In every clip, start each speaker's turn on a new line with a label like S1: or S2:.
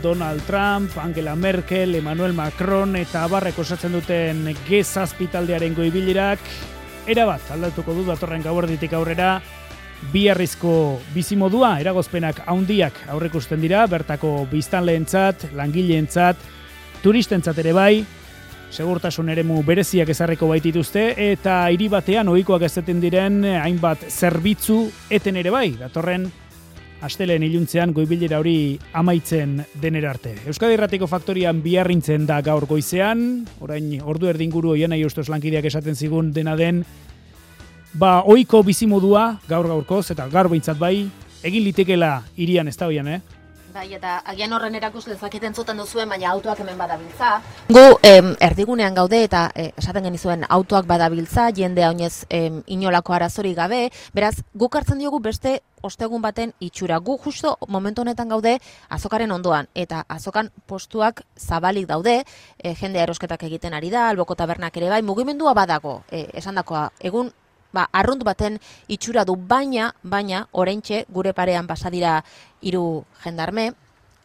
S1: Donald Trump, Angela Merkel, Emmanuel Macron eta abarrek osatzen duten G7 taldearen goibilerak erabat aldatuko du datorren gauerditik aurrera. Biharrizko bizimodua eragozpenak handiak aurreikusten dira, bertako biztanleentzat, langileentzat, turistentzat ere bai, segurtasun eremu bereziak ezarriko baitituzte eta hiri batean ohikoak ezeten diren hainbat zerbitzu eten ere bai, datorren astelehen iluntzean goibilera hori amaitzen denera arte. Euskadi Irratiko Faktorian biharrintzen da gaur goizean, orain ordu erdinguru oian nahi ustos lankideak esaten zigun dena den, ohiko bizimodua gaur-gaurkoz eta gaur behintzat bai, egin litekela hirian ez da hoian,
S2: Bai, eta agian horren erakus lezaketen zuten duzuen, baina autoak hemen badabiltza. Gu erdigunean gaude eta esaten genizuen autoak badabiltza, jendea oinez inolako arazorik gabe, beraz, guk hartzen diogu beste ostegun baten itxura. Gu justo momentu honetan gaude azokaren ondoan, eta azokan postuak zabalik daude, jendea erosketak egiten ari da, alboko tabernak ere bai, mugimendua badago, esandakoa, egun arrunt baten itxura du, baina oraintxe gure parean pasadira 3 jendarme,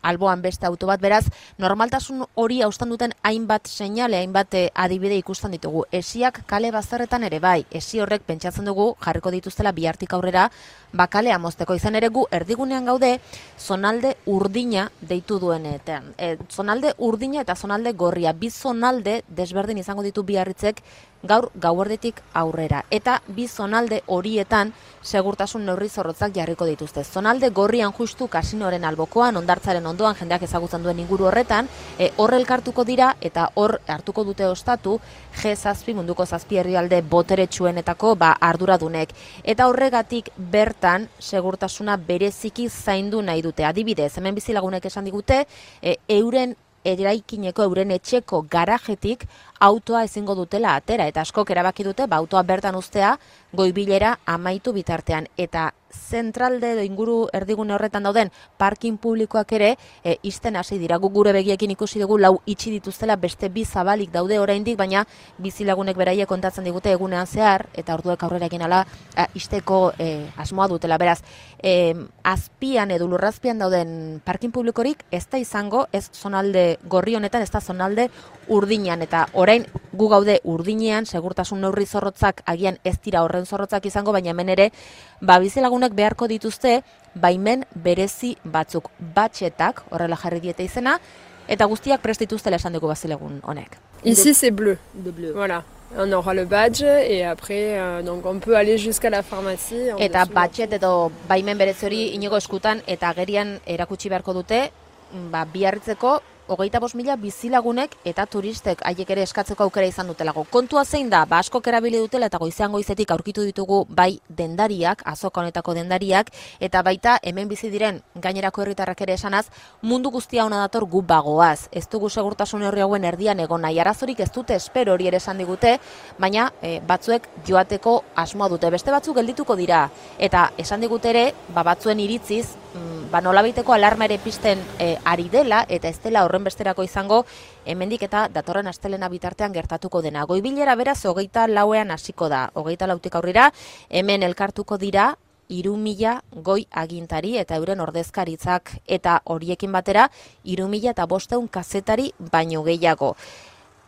S2: alboan beste auto bat, beraz, normaltasun hori haustan duten hainbat seinale, hainbat adibide ikusten ditugu. Esiak kale bazterretan ere bai, esi horrek pentsatzen dugu jarriko dituztela bihartik aurrera, bakalea mozteko izan ere gu erdigunean gaude, zonalde urdina deitu duenetan. Zonalde urdina eta zonalde gorria, bi zonalde desberdin izango ditu biarritzek gaur gauerditik aurrera. Eta bi zonalde horietan segurtasun neurri zorrotzak jarriko dituzte. Zonalde gorrian justu kasinoren albokoan, hondartzaren ondoan, jendeak ezagutzen duen inguru horretan, hor elkartuko dira eta hor hartuko dute ostatu G7 munduko 7 herrialde boteretsuenetako arduradunek. Eta horregatik bertan segurtasuna bereziki zaindu nahi dute. Adibidez, hemen bizilagunek esan digute, euren eraikineko, euren etxeko garajetik autoa ezingo dutela atera, eta askok erabaki dute, autoa bertan uztea goibilera amaitu bitartean. Eta zentralde edo inguru erdigune horretan dauden parkin publikoak ere isten hasi dira. Guk gure begiekin ikusi dugu 4 itxi dituztela, beste 2 zabalik daude oraindik, baina bizilagunek beraiek kontatzen digute egunean zehar, eta orduek aurrera egin ala isteko asmoa dutela. Beraz, azpian edo lurrazpian dauden parkin publikorik ez da izango, ez zonalde gorri honetan, ez da zonalde urdinean, eta orain gu gaude urdinean, segurtasun neurri zorrotzak agian ez dira horren zorrotzak izango, baina hemen ere, bizilagunek beharko dituzte, baimen berezi batzuk, batxetak, horrela jarri diete izena, eta guztiak prest dituztela esan dugu bizilagun honek.
S3: Ici c'est bleu. Voilà. On aura le badge et après donc on peut aller jusqu'à la pharmacie.
S2: Eta batxet edo baimen berezi hori inigo eskutan eta agerian erakutsi beharko dute, biarritzeko 25.000 bizilagunek eta turistek haiek ere eskatzeko aukera izan dutelago. Kontua zein da, askok erabili dutela eta goizean goizetik aurkitu ditugu bai dendariak, azoka honetako dendariak, eta baita hemen bizi diren gainerako herritarrak ere esanaz, mundu guztia ona dator gu bagoaz. Ez dugu segurtasun horri hauen erdian egon nahi. Arazorik ez dute, espero hori ere esan digute, baina batzuek joateko asmoa dute. Beste batzuk geldituko dira, eta esan digute ere, batzuen iritziz, nolabaiteko alarma ere pizten ari dela, eta ez dela horren besterako izango, hemendik eta datorren astelena bitartean gertatuko dena. Goibilera beraz 24ean hasiko da, 24tik aurrera, hemen elkartuko dira 3.000 goi agintari eta euren ordezkaritzak, eta horiekin batera 3.500 kazetari baino gehiago.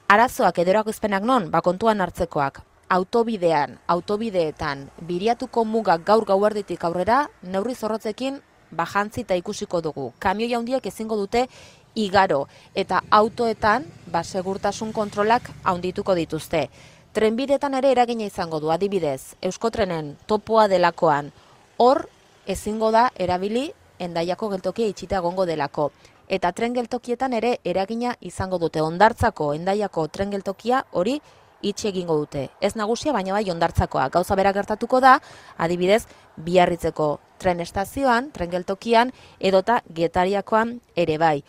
S2: Arazoak edo erakuspenak non, kontuan hartzekoak. Autobideetan, biriatuko mugak gaur gauerditik aurrera, neurri zorrotzekin jantzi eta ikusiko dugu. Kamioi handiak ezingo dute igaro, eta autoetan segurtasun kontrolak handituko dituzte. Trenbidetan ere eragina izango du, adibidez, Euskotrenen topoa delakoan, hor ezingo da erabili Hendaiako geltokia itxita egongo delako. Eta tren geltokietan ere eragina izango dute. Hondartzako Hendaiako tren geltokia hori itxi egingo dute. Ez nagusia, baina bai hondartzakoa. Gauza bera gertatuko da, adibidez, Biarritzeko tren estazioan, tren geltokian, edota Getariakoan ere bai.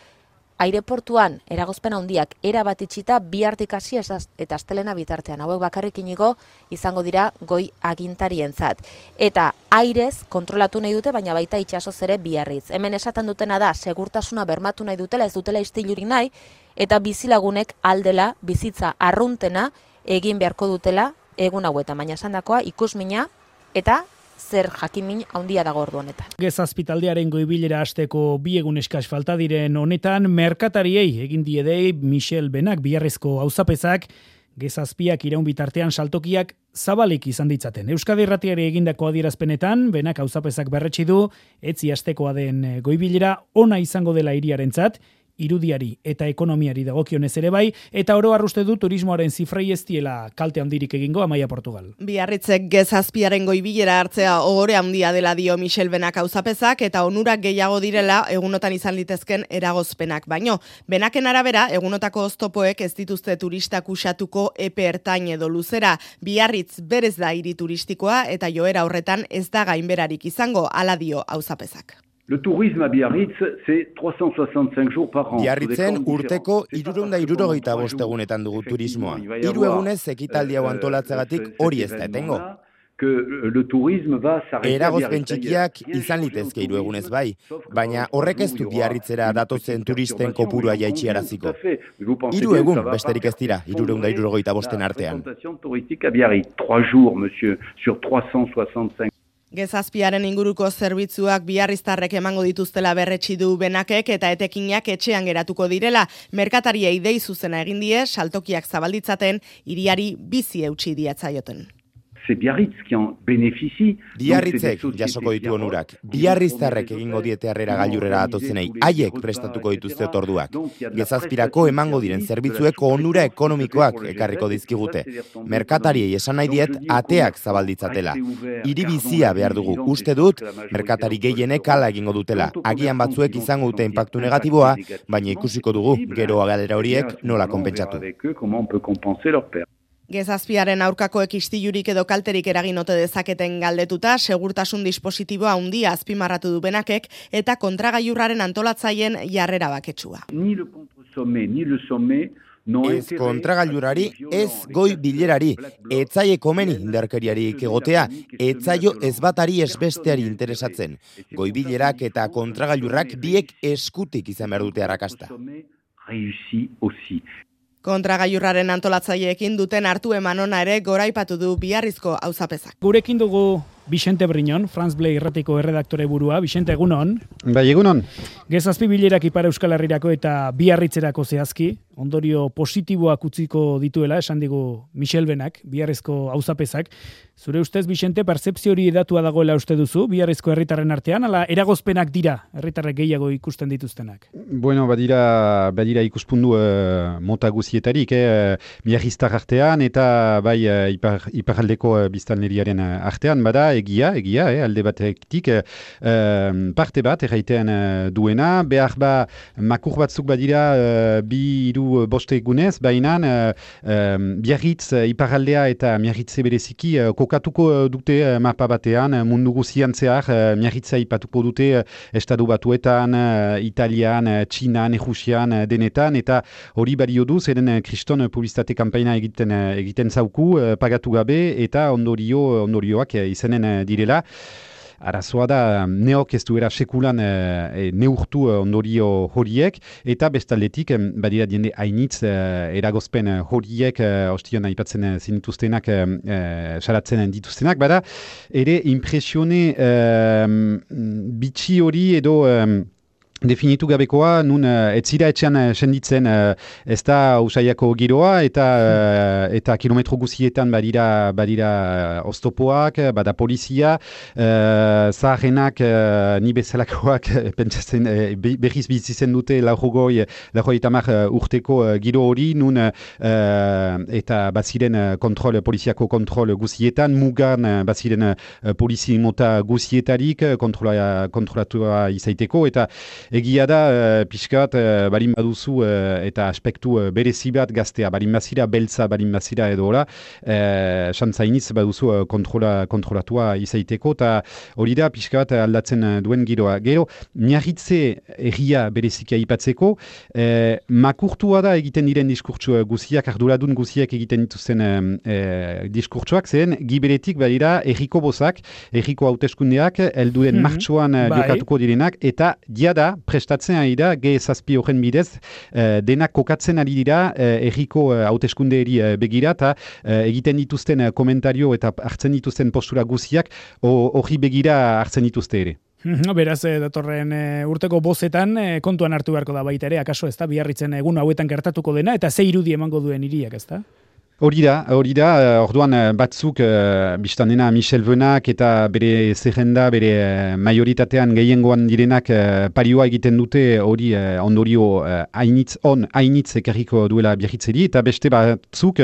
S2: Aireportuan eragozpen handiak erabat itxita bihartik hasi eta astelena bitartean. Hauek bakarrik inigo izango dira goi agintarientzat. Eta airez kontrolatu nahi dute, baina baita itsasoz ere Biarritz. Hemen esaten dutena da segurtasuna bermatu nahi dutela, ez dutela istilurik nahi, eta bizilagunek aldela bizitza arruntena egin beharko dutela egun hauetan, baina esandakoa ikusmina eta zer jakimin handia dago ordu honetan.
S1: Gezazpitaldearen goibilera hasteko 2 egun eskas falta diren honetan, merkatariei egin diedei Michel Benak biharrezko auzapezak, Gezazpiak iraun bitartean saltokiak zabalik izan ditzaten. Euskadi Irratiari egindako adierazpenetan, Benak auzapezak berretsi du, etzi astekoa den goibilera ona izango dela hiriarentzat, irudiari eta ekonomiari dagokionez ere bai, eta oro arruste du turismoaren zifrei ez diela kalte handirik egingo Amaia Portugal.
S4: Biarritzek Gezazpiaren goibilera hartzea ohore handia dela dio Michel Benak auzapezak eta onurak gehiago direla egunotan izan litezken eragozpenak. Baino, Benaken arabera, egunotako oztopoek ez dituzte turistak usatuko epe ertain edo luzera. Biarritz berez da hiri turistikoa eta joera horretan ez da gainberarik izango, hala dio auzapezak.
S5: Le tourisme à Biarritz, c'est 365 jours par an.
S6: Biarritzen urteko 365 egunetan dugu turismoa. 3 egunez ekitaldi hau antolatzagatik hori ez da etengo. Eragozpen txikiak izan litezke 3 egunez bai, baina horrek ez du Biarritzera datozen turisten kopurua jaitxiaraziko. 3 egun besterik ez dira, 365 artean.
S5: 3 jours, monsieur, sur 365.
S4: Gezazpiaren inguruko zerbitzuak biarriztarrek emango dituztela berretsi du Benakek eta etekinak etxean geratuko direla. Merkatariei dei zuzena egin die, saltokiak zabalditzaten, hiriari bizi eutsi diatzaioten.
S6: Biarritzek jasoko ditu onurak. Biarriztarrek egingo diete harrera gailurrera datozenei, haiek prestatuko dituzte otorduak. Gezazpirako emango diren zerbitzueko onura ekonomikoak ekarriko dizkigute. Merkatariei esan nahi diet ateak zabalditzatela. Hiri bizia behar dugu, uste dut, merkatari gehienek hala egingo dutela. Agian batzuek izango dute inpaktu negatiboa, baina ikusiko dugu gero galera horiek nola konpentsatu.
S4: Gezazpiaren aurkakoek istilurik edo kalterik eragin ote dezaketen galdetuta, segurtasun dispositiboa handia azpimarratu du Benakek eta kontragailurraren antolatzaien jarrera baketsua.
S6: Ez kontragailurari, ez goi bilerari, etzaie komeni indarkeriarik egotea, etzaio ez batari ez besteari interesatzen. Goi bilerak eta kontragailurrak biek eskutik izan behar dute arrakasta.
S4: Kontragailurraren antolatzaileekin duten hartu eman ona ere goraipatu du Biarrizko auzapezak.
S1: Gurekin dugu Vicente Briñon, France Bleu irratiko erredaktore burua. Vicente, egunon.
S7: Bai, egunon.
S1: Gezazpi bilerak Ipar Euskal Herrirako eta Biarritzerako zehazki, ondorio positiboak utziko dituela, esan digu Michel Benak, Biarrizko auzapezak. Zure ustez, Vicente, pertzepzio hori edatua dagoela uste duzu, Biarrizko herritarren artean, ala eragozpenak dira, herritarrek gehiago ikusten dituztenak?
S7: Bueno, badira ikuspundu mota guzietarik, Biarriztar artean eta bai iparraldeko biztanleriaren artean, bada egia, alde batetik parte bat erraitean duena, behar makur batzuk badira 2-3 egunez, baina Biarritz iparraldea eta Biarritze bereziki kokatuko dute mapa batean, mundu guzian zehar, Biarritza ipatuko dute estatu batuetan, Italian, Txinan, Errusian, denetan, eta hori bario du, zeren kriston publizitate kampaina egiten zauku, pagatu gabe, eta ondorioak izanen direla. Arazoa da, neok ez duera sekulan neurtu ondorio horiek, eta bestaldetik, badira diende hainitz eragozpen horiek, ostion aipatzen zinituztenak, saratzen dituztenak, bada, ere impresione bitxi hori edo definitu gabekoa, nun etzira etxean senditzen ez da usaiako giroa eta kilometro guzietan badira oztopoak, bada polizia, zaharrenak ni bezalakoak pentsatzen berriz bizitzen dute laurogoi urteko giro hori, nun eta baziren poliziako kontrol guzietan, mugan baziren polizi mota guzietarik kontrolatua izaiteko, eta egia da, pixkat, balin baduzu eta aspektu berezi bat gaztea, balin bazira, beltza, balin bazira edo hola, xantzainiz baduzu kontrolatua izaiteko, eta hori da, pixkat aldatzen duen giroa. Gero, Biarritze erria bereziki aipatzeko, makurtua da egiten diren diskurtsu guziak, arduradun guziak egiten dituzten diskurtsuak, zen, giberetik badira erriko bozak, erriko hauteskundeak, helduen martxoan jokatuko direnak, eta diada, prestatzen ari da, G7 horren bidez, denak kokatzen ari dira erriko hauteskundeeri begira, eta egiten dituzten komentario eta hartzen dituzten postura guziak hori begira hartzen dituzte ere.
S1: Beraz, datorren urteko bozetan kontuan hartu beharko da baita ere, akaso ez da, Biarritzen egun hauetan gertatuko dena, eta ze irudi emango duen hiriak, ez da?
S7: Hori da, orduan batzuk biztan dena Michel Benak eta bere zerrenda, bere majoritatean gehiengoan direnak parioa egiten dute hori ondorio hainitz ekarriko duela Biarritzeri, eta beste batzuk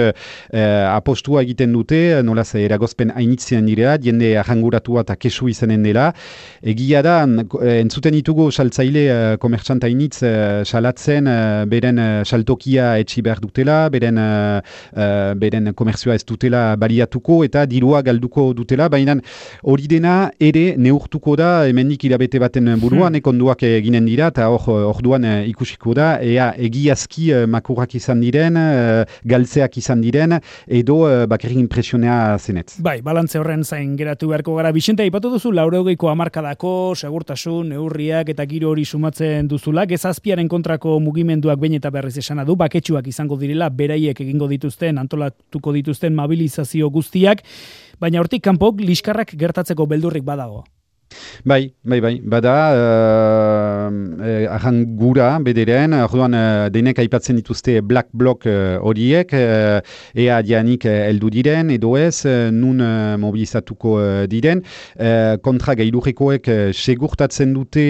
S7: apostua egiten dute, nolaz eragozpen hainitzien direla, jende arranguratua eta kesu izanen dela. Egia da, entzuten ditugu saltzaile komertxant hainitz salatzen beren saltokia etxi behar dutela, beren komerzioa ez dutela baliatuko eta dirua galduko dutela, baina hori dena ere neurtuko da hemendik hilabete baten buruan, konduak eginen dira, eta orduan ikusiko da, ea egiazki makurrak izan diren, galtzeak izan diren, edo bakarrik impresionea zenetz.
S1: Bai, balantze horren zain geratu beharko gara. Bixente, aipatu duzu, 80ko hamarkadako, segurtasun, neurriak eta giro hori sumatzen duzula, G7aren kontrako mugimenduak behin eta berriz esana du, baketsuak izango direla, beraiek egingo dituzten, antolatuko dituzten mobilizazio guztiak, baina hortik kanpo liskarrak gertatzeko beldurrik badago.
S7: Bai, bada arran gura bederen, orduan denek aipatzen dituzte black block horiek, ea dianik heldu diren, edo ez, nun mobilizatuko diren, kontra gailurrekoek segurtatzen dute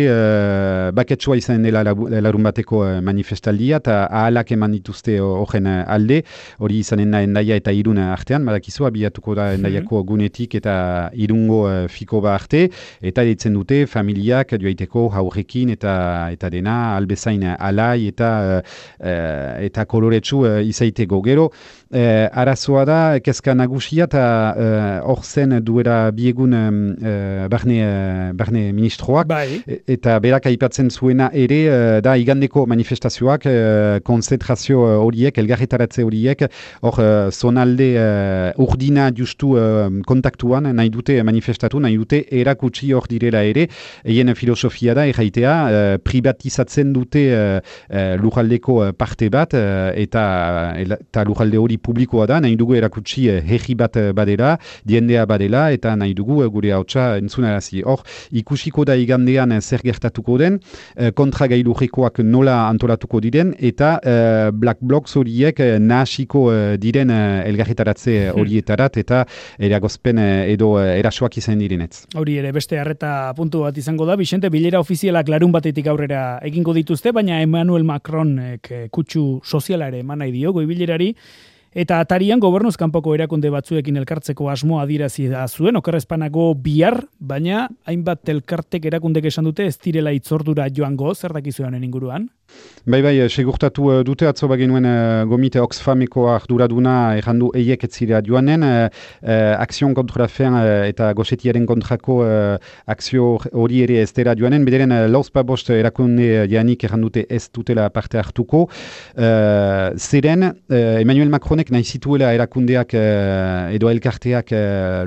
S7: baketsua izan dela larun bateko manifestaldia, eta ahalak eman dituzte horren alde, hori izanen da Hendaia eta Irun artean, badakizu abiatuko da Hendaiako gunetik eta Irungo Fikoba arte, eta ditzen dute familiak joaiteko haurrekin eta dena albezain alai eta koloretsu izaiteko. Gero, arazoa da, kezka nagusia eta hor zen duera biegun barne ministroak, eta berak aipatzen zuena ere, da igandeko manifestazioak, konzentrazio horiek, elgarretaratze horiek, hor zonalde urdina justu kontaktuan nahi dute manifestatu, nahi dute erakutsi hor direla ere, eien filosofia da, erraitea, privatizatzen dute lujaldeko parte bat, eta lujalde hori publikoa da, nahi dugu erakutsi herri bat badela, diendea badela, eta nahi dugu gure hautsa entzunarazi. Hor, ikusiko da igandean zer gertatuko den, kontra gailurrekoak nola antolatuko diren, eta black blocs horiek nahasiko diren elgarretaratze horietarat, eta eragozpen edo erasoak izan direnetz.
S1: Hori ere, beste harreta puntu bat izango da, Bixente, bilera ofizialak larun batetik aurrera egingo dituzte, baina Emmanuel Macronek kutsu soziala ere eman nahi dio goibilerari, eta atarian gobernuz kanpoko erakunde batzuekin elkartzeko asmoa adierazi da zuen, okerrezpanago bihar, baina hainbat elkartek erakundek esan dute ez direla itzordura joango, zer dakizu honen inguruan?
S7: Bai, segurtatu dute atzo bagenuen gomite Oxfameko arduraduna errandu eiek etzira joanen, akzion kontra fen eta gosetiaren kontrako akzio hori ere ez dela joanen, bederen lauzpabost erakunde janik errandute ez dutela parte hartuko. Zeren, Emmanuel Macronek nahi zituela erakundeak edo elkarteak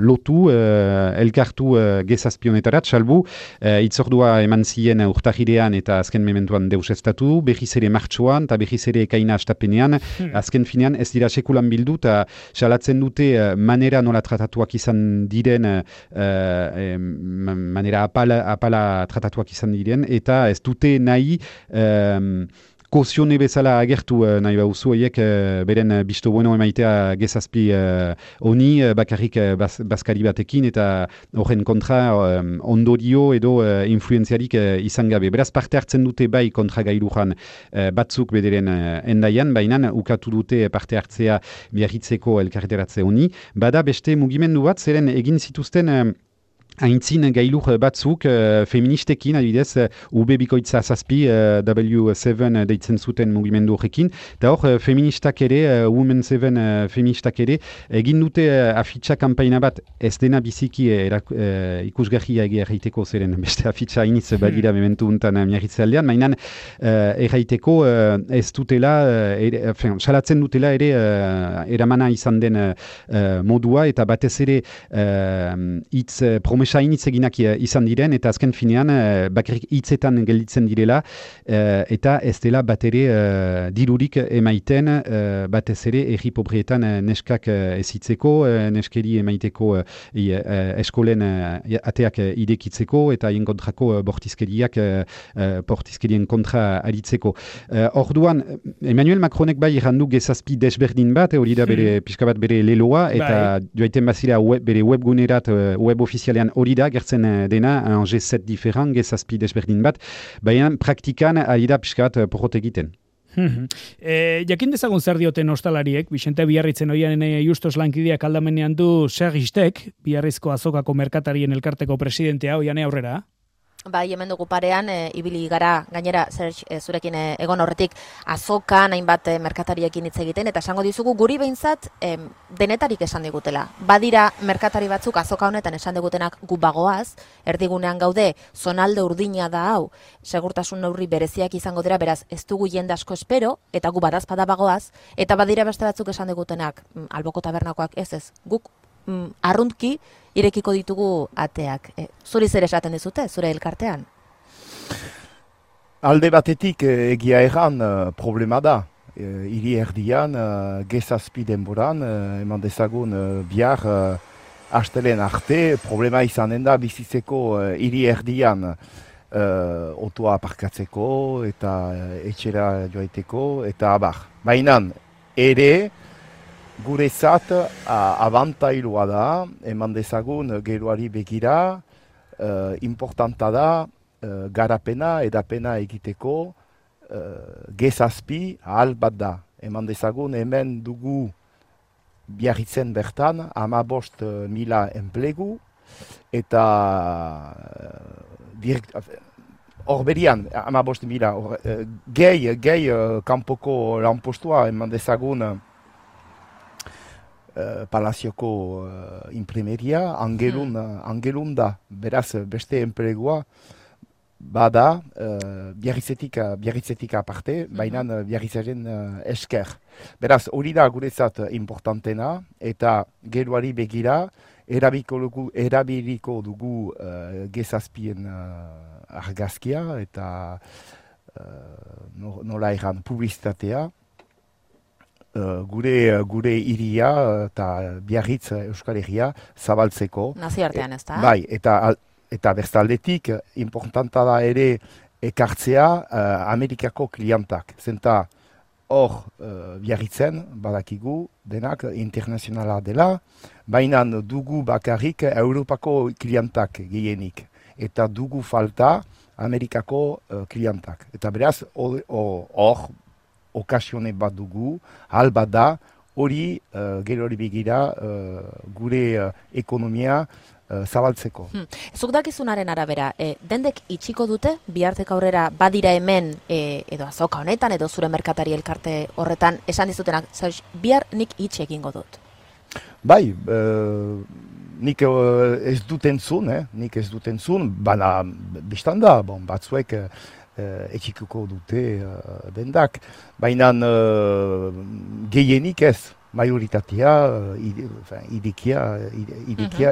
S7: lotu, elkartu G7 salbu, itzordua eman ziren urtahirean eta azken mementuan deusestatu, behiz ere martxoan eta behiz ere ekaina astapenean, azken finean ez dira sekulan bildu eta salatzen dute manera nola tratatuak izan diren, manera apala tratatuak izan diren, eta ez dute nahi kozione bezala agertu nahi bauzu eiek beren bisto bueno emaitea G7 honi bakarrik bazkari batekin eta horren kontra ondorio edo influenziarik izan gabe. Beraz parte hartzen dute bai kontra gailujan batzuk bederen Hendaian, baina ukatu dute parte hartzea Biarritzeko elkarreteratze honi. Bada beste mugimendu bat, zeren egin zituzten aintzin gailur batzuk feministekin, adibidez, UB bikoitza zazpi, W7 deitzen zuten mugimendu horrekin, eta hor feministak ere, Women 7 feministak ere, egin dute afitxa kampaina bat ez dena biziki ikusgarria erraiteko zeren beste afitxa iniz badira mementu untan miarritze aldean, mainan erraiteko ez dutela, salatzen dutela ere eramana izan den modua, eta batez ere hitz promesa initzeginak izan diren, eta azken finean bakarrik hitzetan gelditzen direla, eta ez dela bat ere dirurik emaiten, batez ere erri pobrietan neskak ezitzeko, neskeri emaiteko eskolen ateak irekitzeko, eta hien kontrako bortizkerien kontra aritzeko. Orduan, Emmanuel Macronek bai errandu gezazpi desberdin bat, hori da bere pixka bat bere leloa, eta joaiten bazira bere webgunerat, web ofizialean hori da, gertzen dena, un G7 diferent, gezazpi desberdin bat, baina praktikan ari da pixka bat porrot egiten.
S1: Jakin dezagun zer dioten ostalariek, Vicente Biarritzen oian justos lankideak aldamenean du Sergistek, Biarrizko azokako merkatarien elkarteko presidentea, oian aurrera?
S2: Bai, hemen dugu parean, ibili gara, gainera, zurekin egon horretik, azokan, hainbat merkatariekin hitz egiten, eta esango dizugu guri behintzat denetarik esan digutela. Badira merkatari batzuk azoka honetan esan digutenak gu bagoaz, erdigunean gaude, zonalde urdina da hau, segurtasun neurri bereziak izango dira, beraz, ez dugu jende asko espero, eta gu badazpada bagoaz, eta badira beste batzuk esan digutenak, alboko tabernakoak ez, guk arruntki irekiko ditugu ateak. Zuri zer esaten dizute, zure elkartean?
S8: Alde batetik egia erran problema da. Hiri erdian, gezazpi denboran, eman dezagun bihar astelen arte, problema izanen da bizitzeko hiri erdian otoa aparkatzeko eta etxera joaiteko eta abar. Baina ere, guretzat abantailua da, eman dezagun geroari begira, importanta da garapena, edapena egiteko gezazpi ahal bat da. Eman dezagun hemen dugu Biarritzen bertan 15.000 enplegu, eta hor berian 15.000 gehi kanpoko lanpostua eman dezagun Palazioko imprimeria, angelun da, beraz beste enplegua bada Biarritzetik aparte, baina Biarritzaren esker. Beraz, hori da guretzat importantena, eta geroari begira, erabiliko dugu gezazpien argazkia, eta nola erran publizitatea, gure iria eta Biarritz Euskal Herria zabaltzeko.
S2: Nazioartean ez da?
S8: Bai, eta bestaldetik importanta da ere ekartzea Amerikako klientak. Zenta hor Biarritzen badakigu denak internazionala dela, baina dugu bakarrik Europako klientak gehienik. Eta dugu falta Amerikako klientak. Eta beraz hor okasione bat dugu, hal bat da, hori gero hori begira gure ekonomia zabaltzeko.
S2: Zuk dakizunaren arabera, dendek itxiko dute, bihartek aurrera badira hemen, edo azoka honetan, edo zure merkatari elkarte horretan, esan dizutenak, bihar nik itxe egingo dut?
S8: Bai, nik ez duten zun, baina biztan da, batzuek etxikuko dute dendak, baina gehienik ez, majoritatea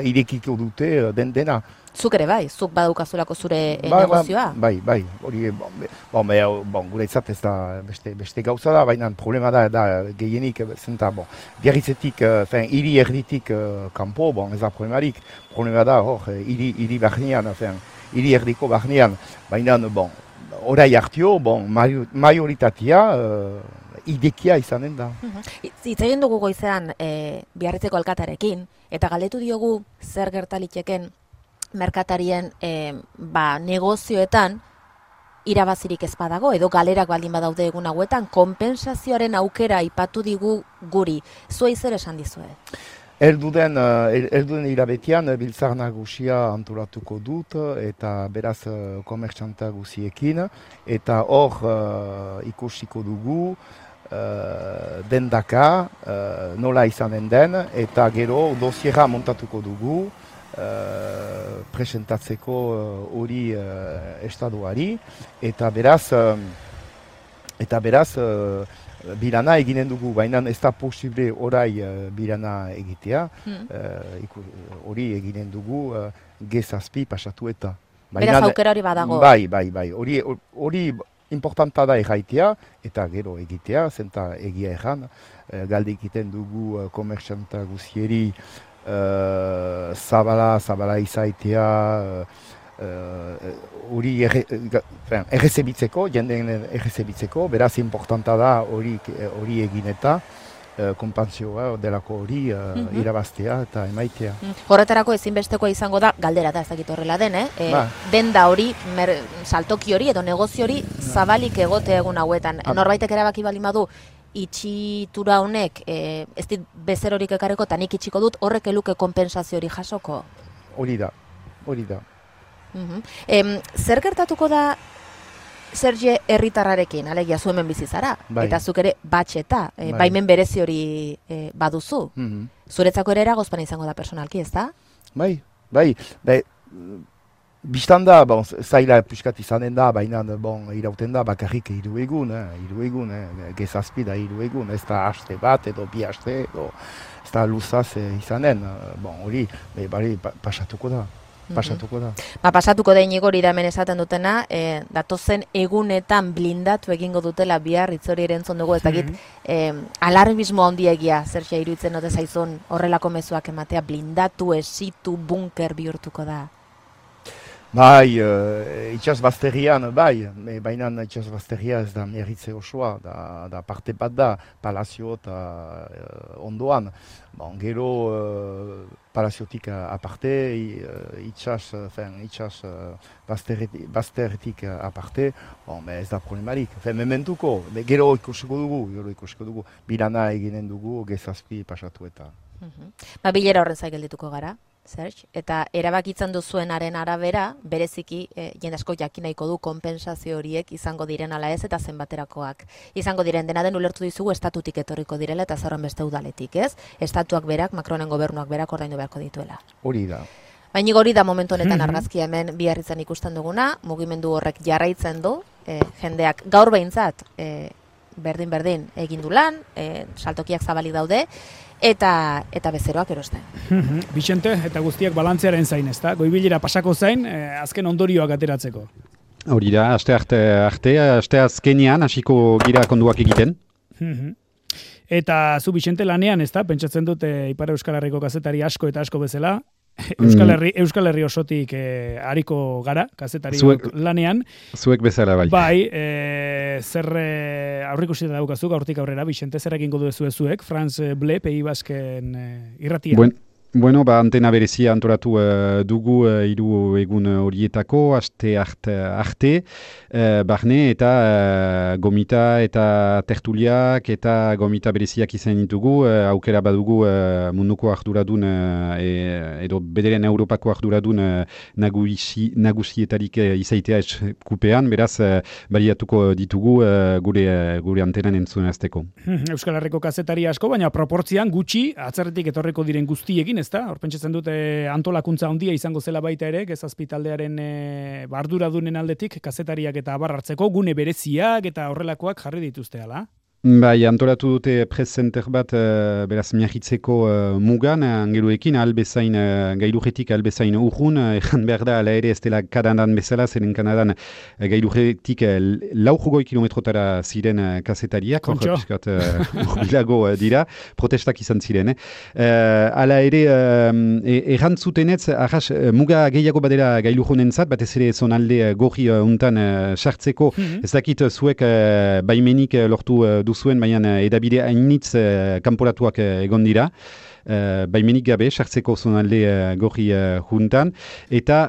S8: irekiko dute dena.
S2: Zuk ere bai, zuk badaukazulako zure negozioa?
S8: Bai, hori, guretzat ez da beste gauza da, baina problema da gehienik, zenta, Biarritzetik, hiri erditik kanpo, ez da problema da, hiri barnean, hiri erdiko barnean, baina, orai hartio, majoritatea idekia izanen da.
S2: Hitz egin dugu goizean Biarritzeko alkatarekin, eta galdetu diogu zer gertaliteken merkatarien negozioetan irabazirik ez badago, edo galerak baldin badaude egun hauetan, konpensazioaren aukera aipatu digu guri. Zuei zer esan dizue?
S8: Elduden irabetean biltzar nagusia antolatuko dut, eta beraz komertxanta guziekin, eta hor ikusiko dugu dendaka nola izanen den, eta gero dosiera montatuko dugu presentatzeko hori estaduari, eta beraz bilana eginen dugu, baina ez da posible orai bilana egitea, hori eginen dugu G7 pasatu eta.
S2: Beraz aukera hori badago.
S8: Bai. Hori importanta da erraitea eta gero egitea, zenta egia erran, galde egiten dugu komertxanta guzieri zabala izaitea, hori errezebitzeko, jendeen errezebitzeko, beraz importanta da hori egin eta konpantzioa delako hori irabaztea eta emaitea.
S2: Horretarako ezinbestekoa izango da, galdera da ez dakit horrela den, denda hori, saltoki hori edo negozio hori zabalik egote egun hauetan. Norbaitek erabaki baldin badu, itxitura honek ez dit bezerorik ekarreko eta nik itxiko dut, horrek eluke konpensazio hori jasoko?
S8: Hori da.
S2: Zer gertatuko da Serge herritarrarekin, alegia zu hemen bizi zara, eta zuk ere batxeta, baimen berezi hori baduzu. Zuretzako ere eragozpen izango da personalki, ez da?
S8: Bai. Bistan da, zaila piskat izanen da, baina irauten da bakarrik 3 egun, G7 da 3 egun, ez da haste bat edo 2 haste, ez da luzaz izanen, hori, pasatuko da. Pasatuko
S2: da inigori da hemen esaten dutena, datozen egunetan blindatu egingo dutela bihar hitzori erentzun dugu, ez dakit alarmismo handiegia, Serge, iruditzen ote zaizun horrelako mezuak ematea, blindatu, esitu, bunker bihurtuko da?
S8: Bai, itxas bazterrian, baina itxas bazterria ez da miarritze osoa, da parte bat da, palazio eta ondoan. Gero palaziotik aparte, itxas bazterretik aparte, ez da problemarik. Mementuko, gero ikusiko dugu, bilana eginen dugu, G7 pasatu eta.
S2: Bilera horren zaigaldituko gara, Serge, eta erabakitzen duzuenaren arabera, bereziki jende asko jakin nahiko du konpensazio horiek izango diren ala ez eta zenbaterakoak. Izango diren dena den ulertu dizugu estatutik etorriko direla eta zerren beste udaletik, ez? Estatuak berak, Macronen gobernuak berak ordaindu beharko dituela.
S8: Hori da.
S2: Baina hori da momentu honetan argazkia hemen Biarritzen ikusten duguna, mugimendu horrek jarraitzen du, jendeak gaur behintzat berdin egin du lan, saltokiak zabalik daude, eta bezeroak erosten.
S1: Bixente, eta guztiak balantzearen zain, ezta? Goibilera pasako zain, azken ondorioak ateratzeko.
S7: Hori da, aste azkenean hasiko gira konduak egiten.
S1: Eta zu Bixente lanean, ezta? Pentsatzen dut Ipar Euskal Herriko kazetari asko eta asko bezala, Euskal Herri osotik hariko gara, kazetari lanean.
S7: Zuek bezala bai.
S1: Bai, zer aurrikusi daukazuk aurtik aurrera, Bixente, zer egingo duzu zuek, France Bleu, Pays Basken irratia.
S7: Bueno, antena berezia antolatu dugu 3 egun horietako, aste arte, barne eta gomita eta tertuliak eta gomita bereziak izan ditugu, aukera badugu munduko arduradun edo bederen Europako arduradun nagusietarik izaitea eskupean, beraz baliatuko ditugu gure antenan entzunazteko.
S1: Euskal Herriko kazetari asko, baina proportzian gutxi atzerretik etorriko diren guztiekin, ezta? Hor pentsatzen dute antolakuntza handia izango zela baita ere, G7 taldearen arduradunen aldetik kazetariak eta abar hartzeko gune bereziak eta horrelakoak jarri dituzte ala.
S7: Bai, antolatu dute press center bat beraz miahitzeko mugan, angeluekin albezain gailujetik albezain urrun, ejan behar da, ala ere ez dela Kanadan bezala, zeren Kanadan gailujetik 4 kilometrotara ziren kazetariak, urbilago dira, protestak izan ziren. Ala ere, errantzutenetz, arras, muga gehiago badera gailujonentzat, batez ere zonalde gorri untan sartzeko, ez dakit zuek baimenik lortu duzuen, baina edabide hainitz kanporatuak egon dira. Baimenik gabe, sartzeko zonalde gorri juntan. Eta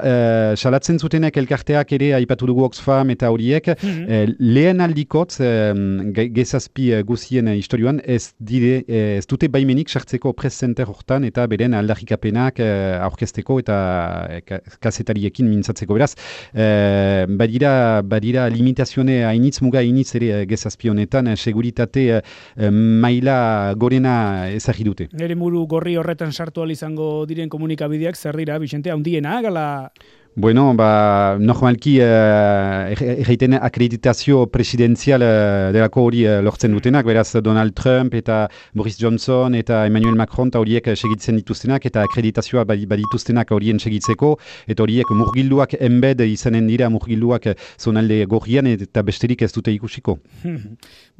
S7: salatzen zutenek elkarteak ere, aipatu dugu Oxfam eta horiek, lehen aldikotz, G7 guzien historioan, ez dute baimenik sartzeko press center hortan eta beren aldarrikapenak aurkezteko eta kazetariekin mintzatzeko. Beraz, badira limitazione hainitz, muga hainitz ere G7 honetan, seguritate maila gorena ezagri dute.
S1: Nere muru gorri horretan sartu izango diren komunikabideak zer dira, Bixente, handiena, gala?
S7: Bueno, normalki egiten akreditazio presidenzial delako hori lortzen dutenak, beraz Donald Trump eta Boris Johnson eta Emmanuel Macron eta horiek segitzen dituztenak eta akreditazioa badituztenak horien segitzeko, eta horiek murgilduak embed izanen dira murgilduak zonalde gorrian eta besterik ez dute ikusiko.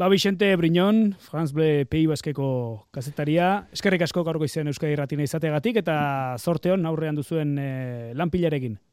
S1: Vicente Briñón, France Bleu Pays Baskeko kazetaria, eskerrik asko gaurko izan Euskadi Irratia izateagatik eta zorte on aurrean duzuen lanpilarekin.